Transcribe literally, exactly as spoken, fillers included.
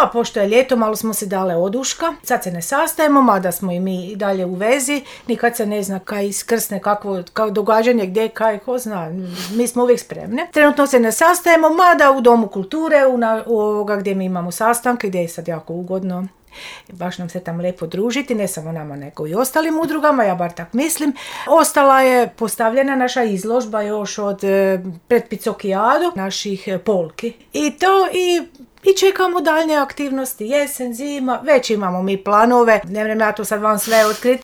pa pošto je ljeto, malo smo se dale oduška. Sad se ne sastajemo, mada smo i mi i dalje u vezi. Nikad se ne zna kaj iskrsne, kakvo, kako događanje, gdje, kaj, ko zna. Mi smo uvijek spremne. Trenutno se ne sastajemo, mada u Domu kulture, u, na, u ovoga gdje mi imamo sastanke, gdje je sad jako ugodno. Baš nam se tam lijepo družiti, ne samo nama nego i ostalim udrugama, ja bar tak mislim. Ostala je postavljena naša izložba još od e, pred Picokijadu, naših e, polki. I to i I čekamo daljnje aktivnosti, jesen, zima, već imamo mi planove, ne vrem ja to sad vam sve otkriti,